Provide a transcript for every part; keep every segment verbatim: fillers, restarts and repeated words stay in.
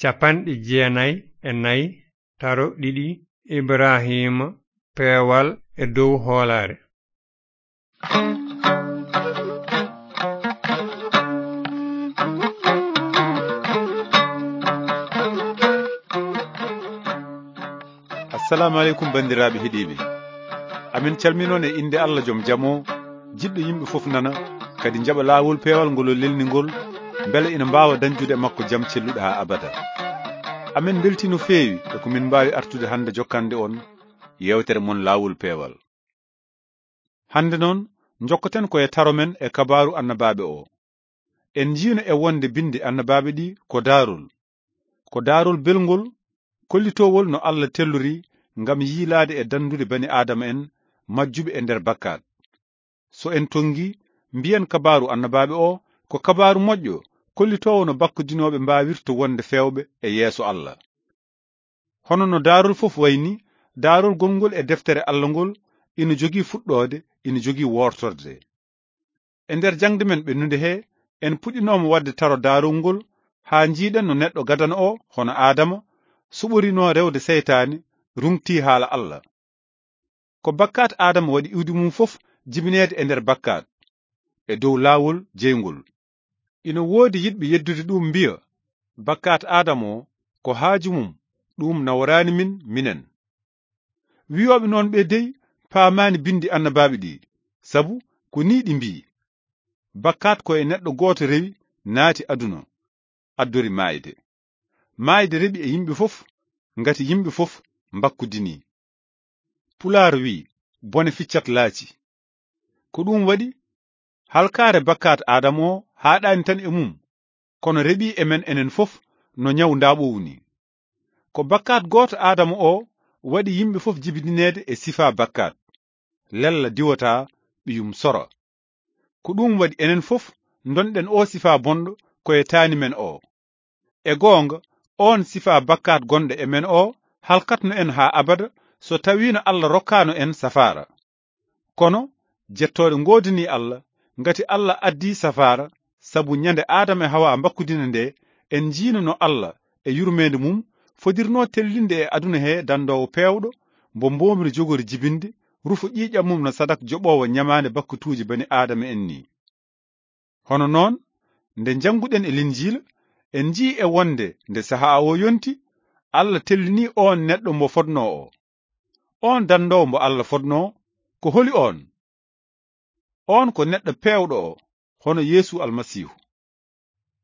capanɗe jeenay e nay, taro ɗiɗi. Ibraahiima, peewal e dow hoolaare. Assalaamu aleykum, banndiraaɓe heɗiiɓe. Amin calminoon e innde Allah jom jam o, jiɗɗo yimɓe fof nana, kadi njaɓa laawol peewal ngol o lelni ngol, mbele ina mbaawa dañdude e makko jam celluɗo haa abada. Amin mbeltii no feewi e ko min mbaawi artude hannde jokkande on yeewtere mon laawol peewal. Hannde noon, njokkoten ko e taro men e kabaaru annabaaɓe o. En njiino e wonde binndi annabaaɓe ɗi ko daarol. Ko daarol belngol, kollitoowol no Allah tellori ngam yiilaade e danndude bani Aadama en majjuɓe e nder bakkaat. So en tonngi, mbiyen kabaaru annabaaɓe o ko kabaaru moƴƴo, kollitoowo no bakkodinooɓe mbaawirta wonde feewɓe e yeeso Allah. Hono no daarol fof wayi ni, daarol gonngol e deftere Allah ngol ina jogii fuɗɗoode, ina jogii woortorde. E nder jaŋde men ɓennunde he, en puɗɗinooma waɗde taro daarol ngol haa njiiɗen no neɗɗo gadano o, hono Aadama, suɓorinoo rewde seytaane, ruŋtii haala Allah. Ko bakkaat Aadama waɗi iwdi mum fof jibineede e nder bakkaat, e dow laawol jeyngol. Ina woodi yiɗɓe yeddude ɗum mbiya, bakkaat Aadama o ko haaju mum, ɗum naworaani min, minen. Wiyooɓe noon ɓe dey paamaani binndi annabaaɓe ɗi, sabu ko nii ɗi mbii, bakkaat ko e neɗɗo gooto rewi, naati aduna, addori maayde. Maayde reɓi e yimɓe fof, ngati yimɓe fof mbakkudinii. Pulaar wii, bone ficcat laaci. Ko ɗum waɗi, halkaare bakkaat Aadama o haaɗaani tan e mum, kono reɓi e men enen fof no ñaw ndaaɓoowu ni. Ko bakkaat gooto Aadama o waɗi yimɓe fof jibidineede e sifaa bakkaat. Lella diwataa ɓiyum sora. Ko ɗum waɗi enen fof ndonɗen o sifaa bonɗo ko e taani men o. E goonga, oon sifaa bakkaat gonɗo e men o halkatno en haa abada, so tawiino Allah rokkaano en safaara. Kono, jettooɗe ngoodanii Allah, ngati Allah addii safaara, sabu ñande Aadama e Hawa mbakkudina nde, en njiino no Allah, e yurmeende mum, fodirnoo tellinde e aduna he danndoowo peewɗo, mbo mboomri jogori jibinde, rufo ƴiiƴam mum no sadak joɓoowo ñamaande bakkatuuji bani Aadama en ni. Hono noon, nde njannguɗen e Linjiila, en njii e wonde nde sahaa o yonti, Allah tellini oon neɗɗo mbo fodnoo o. Oon danndoowo mbo Allah fodnoo, ko holi oon? Oon ko neɗɗo peewɗo o, hono Yeesu Almasiihu.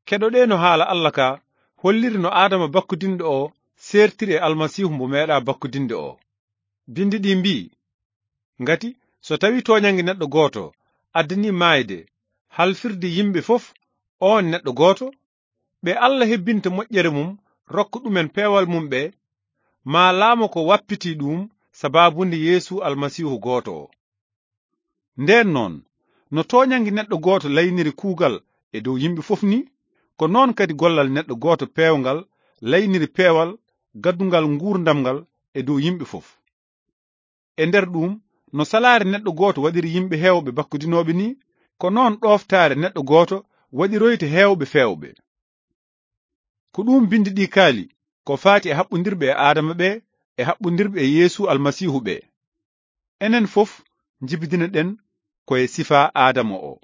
Keɗoɗee no haala Allah ka holliri no Aadama bakkudinɗo o seertiri e Almasiihu mbo meeɗaa bakkudinde o. Binndi ɗi mbii, ngati so tawi tooñannge neɗɗo gooto addani maayde, halfirde yimɓe fof oon neɗɗo gooto, ɓe Allah hebbinta moƴƴere mum, rokka ɗumen peewal mum ɓe, maa laamo ko wappitii ɗum sabaabunde Yeesu Almasiihu gooto o. Ndeen noon, no tooñannge neɗɗo gooto layniri kuugal e dow yimɓe fof ni, ko noon kadi gollal neɗɗo gooto peewngal layniri peewal gaddungal nguurndam ngal e dow yimɓe fof. E nder ɗum, no salaare neɗɗo gooto waɗiri yimɓe heewɓe bakkudinooɓe ni, ko noon ɗooftaare neɗɗo gooto waɗiroyta heewɓe feewɓe. Ko ɗum binndi ɗi kaali, ko faati e haɓɓundirɓe e Aadama ɓe, e haɓɓundirɓe e Yeesu Almasiihu ɓe. Enen fof njibidinoɗen ko e sifaa Aadama o.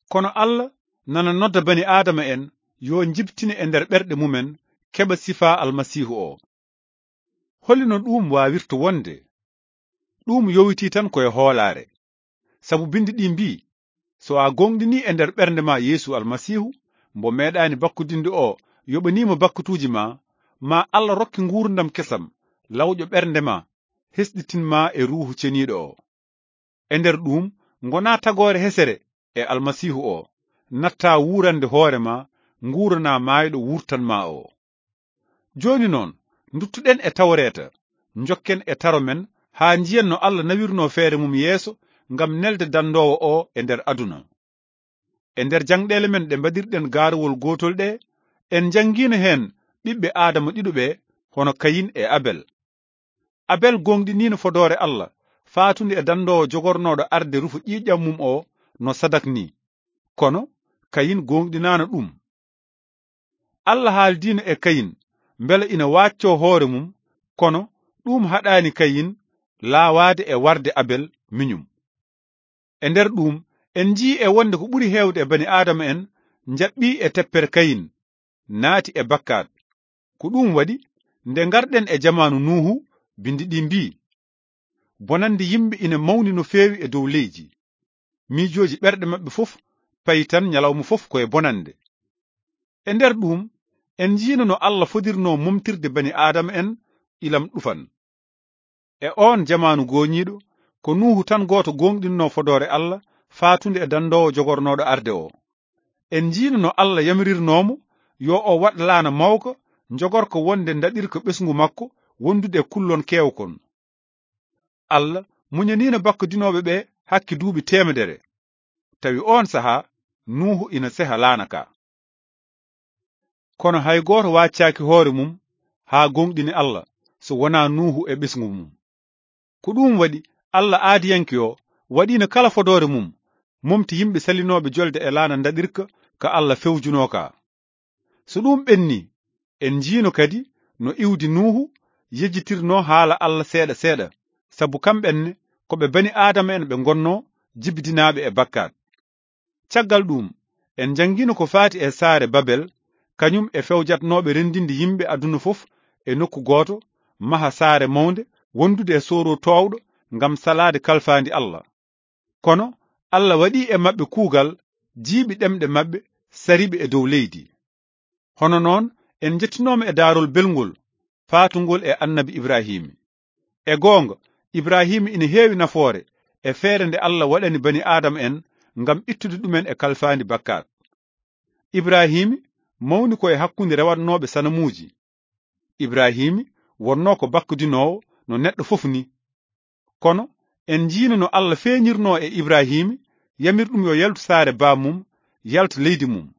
Kono Allah nana nodda bani Aadama en yo njibtine e nder ɓerɗe mumen keɓa sifaa Almasiihu o. Holi no ɗum waawirta wonde? Ɗum yowitii tan ko e hoolaare. Sabu binndi ɗi mbii, so a gooŋɗinii e nder ɓernde ma Yeesu Almasiihu, mbo meeɗaani bakkudinde o yoɓanii ma bakkatuuji ma, ma Allah rokke nguurndam kesam, lawƴo ɓernde ma, hesɗitin ma e Ruuhu Ceniiɗo o. E nder ɗum, ngonaa tagoore hesere e Almasiihu o, nattaa wuurande hoore ma, nguuranaa maayɗo wurtan ma o. Jooni noon, nduttuɗen e Tawreeta, njokken e taro men, haa njiyen no Allah nawirnoo feere mum yeeso ngam nelde danndoowo o e nder aduna. E nder jaŋɗeele men ɗe mbaɗirɗen gaaruwol gootol ɗe, en njanngiino heen ɓiɓɓe Aadama ɗiɗo ɓe, hono Kayin e Abel. Abel gooŋɗiniino fodoore Allah, faatunde e danndoowo jogornooɗo arde rufo ƴiiƴam mum o no sadak ni. Kono Kayin gooŋɗinaano ɗum. Alla haaldiino e Kayin mbela ina waaccoo hoore mum, kono ɗuum haɗaani Kayin laawaade e warde Abel miñum. E nder ɗuum, en njiyii e wonde ko ɓuri heewde e bani Aadama en njaɓɓii e teppere Kayin, naati e bakkaat. Ko ɗuum waɗi, nde ngarɗen e jamaanu Nuuhu, binndi ɗi mbii, bonannde yimɓe ina mawni no feewi e dow leydi. Miijooji ɓerɗe maɓɓe fof payi tan ñalawma fof ko e bonannde. E nder ɗuum, en njiino no Alla fodirnoo momtirde bani Aadama en ilam ɗufan. E oon jamaanu gooñiiɗo, ko Nuuhu tan gooto gooŋɗinnoo fodoore Alla faatunde e danndoowo jogornooɗo arde o. En njiino no Alla yamirirnoo mo yo o waɗ laana mawka, njogorka wonde ndaɗirka ɓesngu makko wondude e kullon keewkon. Alla muñaniino bakkadinooɓe ɓe hakke duuɓi teemedere. Tawi oon sahaa, Nuuhu ina seha laana ka. Kono hay gooto waaccaaki hoore mum haa gooŋɗini Alla, so wonaa Nuuhu e ɓesngu mum. Ko ɗuum waɗi, Alla aadiyanke o waɗiino kala fodoore mum, momti yimɓe salinooɓe jolde e laana ndaɗirka ka Alla fewjunoo ka. So ɗuum ɓennii, en njiino kadi no iwdi Nuuhu yejjitirnoo haala Alla seeɗa seeɗa, sabu kamɓe ne ko ɓe bani Aadama en ɓe ngonnoo jibidinaaɓe e bakkaat. Caggal ɗuum, en njanngiino ko faati e saare Babel, kañum e fewjatnooɓe renndinde yimɓe aduna fof e nokku gooto, maha saare mawnde wondude e sooro toowɗo ngam salaade kalfaandi Alla. Kono Alla waɗii e maɓɓe kuugal, jiiɓi ɗemɗe maɓɓe, sari ɓe e dow leydi. Hono noon, en njettinooma e daarol belngol, faatungol e Annabi Ibraahiimi. E goonga, Ibraahiima ina heewi nafoore e feere nde Alla waɗani bani Aadama en ngam ittude ɗumen e kalfaandi bakkaat. Ibraahiima mawni ko e hakkunde rewatnooɓe sanamuuji. Ibraahiima wonnoo ko bakkudinoowo no neɗɗo fof ni. Kono en njiino no Alla feeñirnoo e Ibraahiima, yamir ɗum yo yaltu saare baam mum, yalta leydi mum.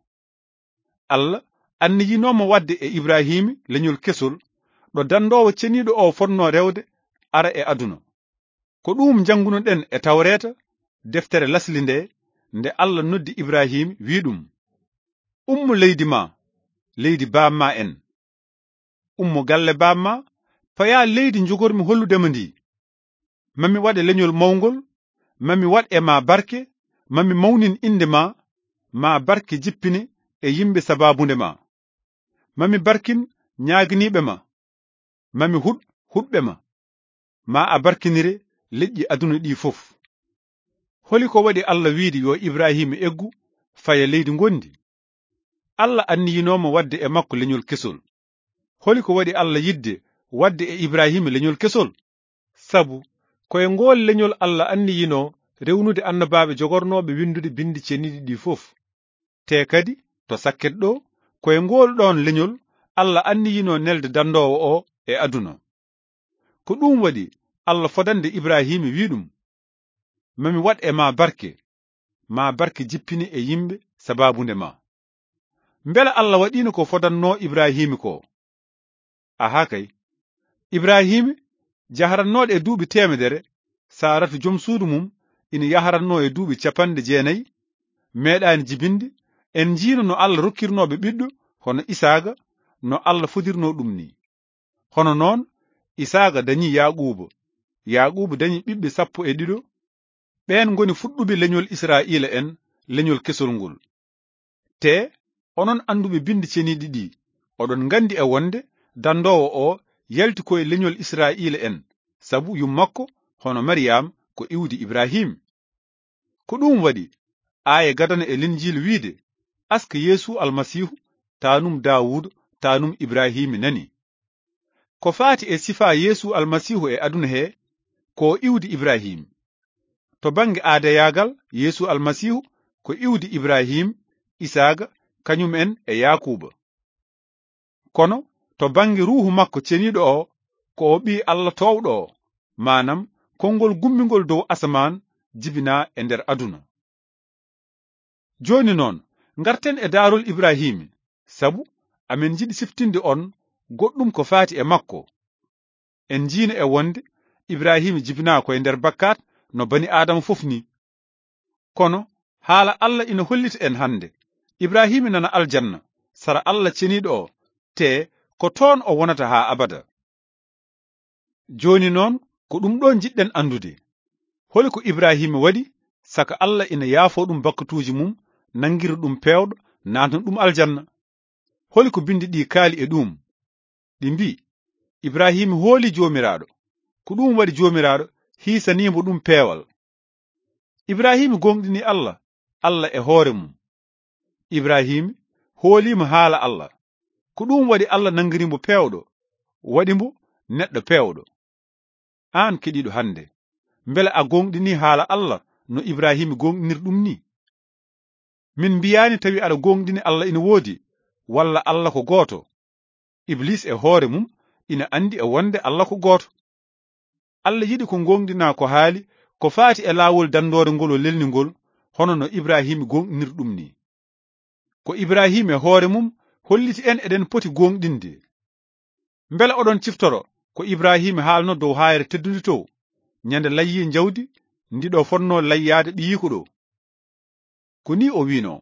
Alla anniyinoo mo waɗde e Ibraahiima leñol kesol, ɗo danndoowo ceniiɗo o fotnoo rewde ara e aduna. Ko ɗuum njanngunoɗen e Tawreeta, deftere lasli nde, nde Alla noddi Ibraahiima, wii ɗum, "Ummo leydi ma, leydi baam ma en. Ummo galle baam ma, paya leydi njogormi hollude ma ndi. Ma mi waɗe leñol mawngol, ma mi waɗ e ma barke, ma mi mawnin innde ma, ma barke jippine e yimɓe sabaabu nde ma. Ma mi barkin ñaaginiiɓe ma, ma mi huɗ huɗɓe ma, ma a barkinire leƴƴi aduna ɗi fof." Holi ko waɗi Alla wiide yo Ibraahiima eggu, faya leydi ngonndi? Alla anniyinoo mo waɗde e makko leñol kesol. Holi ko waɗi Alla yiɗde waɗde e Ibraahiima leñol kesol? Sabu ko e ngool leñol Alla anniyinoo rewnude annabaaɓe jogornooɓe winndude binndi ceniiɗi ɗi fof. Te kadi, to sakket ɗo, ko e ngool ɗoon leñol Alla anniyinoo nelde danndoowo o e aduna. Ko ɗuum waɗi Alla fodande Ibraahiima, wii ɗum, "Ma mi waɗ e ma barke, ma barke jippine e yimɓe sabaabu nde ma." Mbela Alla waɗiino ko fodannoo Ibraahiima ko? Ahaa kay. Ibraahiima, jahrannooɗo e duuɓi teemedere, Saaratu jom suudu mum ina yahrannoo e duuɓi capanɗe jeenayi, meeɗaani jibinde, en njiino no Alla rokkirnoo ɓe ɓiɗɗo, hono Isaaqa, no Alla fodirnoo ɗum ni. Hono noon, Isaaqa dañi Yaaquuba, Yaaquuba dañi ɓiɓɓe sappo e ɗiɗo, ɓeen ngoni fuɗɗuɓe leñol Israa'iila en, leñol kesol ngol. Te onon annduɓe binndi ceniiɗi ɗi, oɗon nganndi e wonde danndoowo o yalti ko e leñol Israa'iila en, sabu yummakko, hono Mariyam, ko iwdi Ibraahiim. Ko ɗuum waɗi aaya gadana e Linjiila wiide, "Aska Yeesu Almasiihu, taanum Daawuuda, taanum Ibraahiima nani." Ko faati e sifaa Yeesu Almasiihu e aduna he, ko o iwdi Ibraahiim. To bannge aadayaagal, Yeesu Almasiihu ko iwdi Ibraahiim, Isaaqa, kañum en e Yaakuuba. Kono to bannge Ruuhu makko Ceniiɗo o, ko o Ɓii Alla toowɗo o, maanam konngol gummingol dow asamaan jibinaa e nder aduna. Jooni noon, ngarten e daarol Ibraahiimi, sabu amen njiɗi siftinde on goɗɗum ko faati e makko. En njiino e wonde Ibraahiima jibinaa ko e nder bakkaat no bani Aadama fof ni. Kono haala Alla ina hollita en hannde, Ibraahiima nana aljanna, sara Allah ceniiɗo o, te ko toon o wonata haa abada. Jooni noon, ko ɗum ɗo njiɗɗen anndude. Holi ko Ibraahiima waɗi, saka Allah ina yaafoo ɗum bakkatuuji mum, nanngira ɗum peewɗo, naatna ɗum aljanna? Holi ko binndi ɗi kaali e ɗum? Ɗi mbii, Ibraahiima hooli Joomiraaɗo. Ko ɗum waɗi Joomiraaɗo hiisanii mo ɗum peewal. Ibraahiima gooŋɗini Allah, Allah e hoore mum. Ibraahiima hooliima haala Allah. Ko ɗum waɗi Allah nanngiri mo peewɗo, waɗi mo neɗɗo peewɗo. Aan keɗiiɗo hannde, mbele a gooŋɗini haala Allah no Ibraahiima gooŋɗiniri ɗum ni? Min mbiyaani tawi aɗa gooŋɗini Allah ina woodi, walla Allah ko gooto. Iblis e hoore mum ina anndi e wonde Allah ko gooto. Allah yiɗi ko gooŋɗinaa ko haali ko faati e laawol danndoore ngol o lelni ngol, hono no Ibraahiima gooŋɗiniri ɗum ni. Ko Ibraahiima e hoore mum holliti en eɗen poti gooŋɗinde. Mbele oɗon ciftoro ko Ibraahiima haalno dow haayre teddunde to, ñande layyii njawdi ndi ɗo fotnoo layyaade ɓiyiiko ɗo? Ko ni o wiino,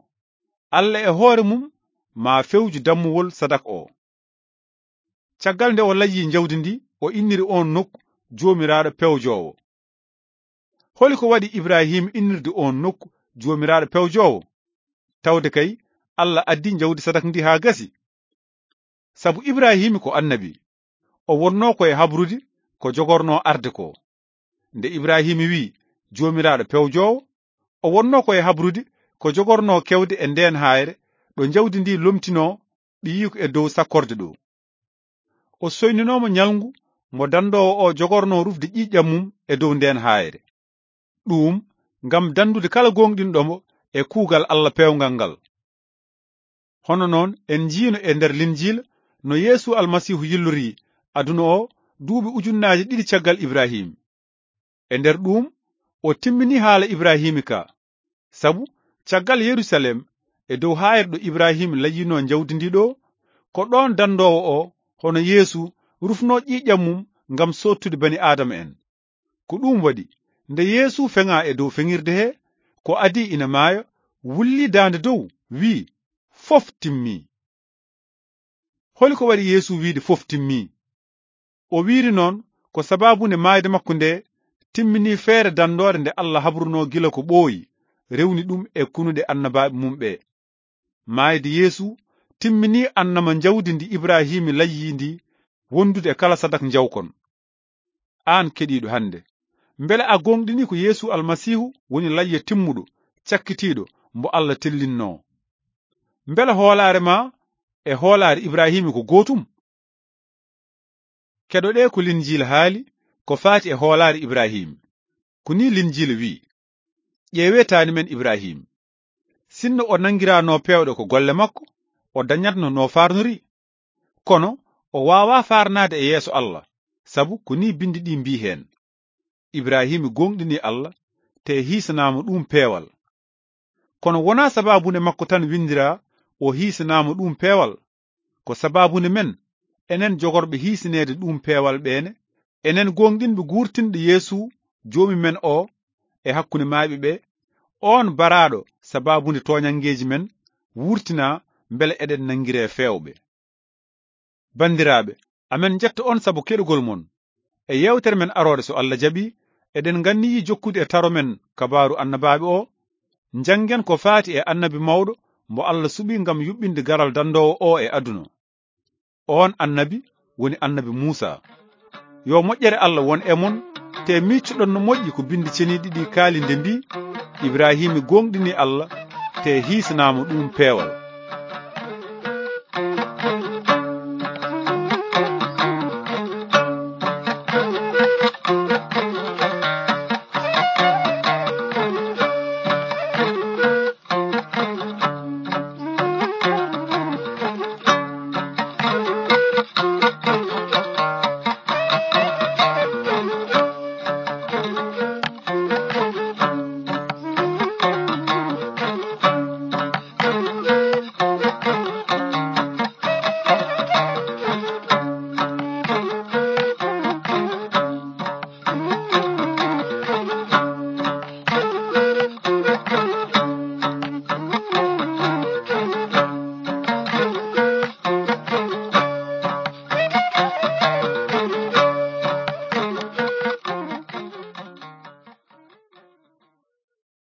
Allah e hoore mum maa fewju dammuwol sadak o. Caggal nde o layyii njawdi ndi, o inniri oon nokku Joomiraaɗo pewjoowo. Holi ko waɗi Ibraahiima innirde oon nokku Joomiraaɗo pewjoowo? Tawde kay, Allah addi njawdi sadak ndi haa gasi. Sabu Ibraahiima ko annabi, o wonnoo ko e habrude ko jogornoo arde ko. Nde Ibraahiima wii, "Joomiraaɗo pewjoowo," o wonnoo ko e habrude ko jogornoo kewde e ndeen haayre, ɗo njawdi ndi lomtinoo ɓiyiiko e dow sakkorde ɗo. O soyninoo mo ñalngu mo danndoowo o jogornoo rufde ƴiiƴam mum e dow ndeen haayre. Ɗuum ngam danndude kala gooŋɗinɗo mo e kuugal Allah peewngal ngal. Hono noon, en njiino e nder Linjiila no Yeesu Almasiihu yillorii aduna o duuɓi ujunnaaje ɗiɗi caggal Ibraahiima. E nder ɗuum, o timmini haala Ibraahiima ka. Sabu, caggal Yerusalem, e dow haayre ɗo Ibraahiima layyinoo njawdi ndi ɗo, ko ɗoon danndoowo o, hono Yeesu, rufnoo ƴiiƴam mum ngam soottude bani Aadama en. Ko ɗuum waɗi, nde Yeesu feŋaa e dow feŋirde he, ko adii ina maaya, wulli daande dow, wii, "Fof timmii." Holi ko waɗi Yeesu wiide, "Fof timmii"? O wiiri noon ko sabaabu nde maayde makko nde timmini feere danndoore nde Allah habrunoo gila ko ɓooyi, rewni ɗum e kunuɗe annabaaɓe mum ɓe. Maayde Yeesu timmini annama njawdi ndi Ibraahiima layyii ndi wondude e kala sadak njawkon. Aan keɗiiɗo hannde, mbele a gooŋɗini ko Yeesu Almasiihu woni layya timmuɗo, cakkitiiɗo, mbo Allah tellinnoo? Mbele hoolaare ma e hoolaare Ibraahiima ko gootum? Keɗoɗee ko Linjiila haali ko faati e hoolaare Ibraahiima. Ko nii Linjiila wi'i, "Ƴeewee taani men Ibraahiima. Sinno o nanngiraanoo peewɗe ko golle makko, o dañatno no faarnori. Kono o waawaa faarnaade e yeeso Allah, sabu ko nii binndi ɗi mbii heen, 'Ibraahiima gooŋɗini Allah, te hiisanaama ɗum peewal.'" Kono wonaa sabaabu nde makko tan winndiraa o hiisanaama ɗum peewal. Ko sabaabu nde men, enen jogorɓe hiisineede ɗum peewal ɓeene, enen gooŋɗinɓe guurtinɗo Yeesu Joomi men o e hakkunde maayɓe ɓe, oon baraaɗo sabaabu nde tooñanngeeji men, wurtinaa mbele eɗen nanngiree feewɓe. Banndiraaɓe, amen njetta on sabu keɗugol mon. E yeewtere men aroore, so Allah jaɓi, eɗen nganniyii jokkude e taro men kabaaru annabaaɓe o, njanngen ko faati e annabi mawɗo mbo Allah suɓi ngam yuɓɓinde garal danndoowo o e aduna. Oon annabi woni annabi Muusaa. Yo moƴƴere Allah won e mon, te miiccoɗon no moƴƴi ko binndi ceniiɗi ɗi kaali nde mbii, "Ibraahiima gooŋɗini Allah, te hiisanaama ɗum peewal."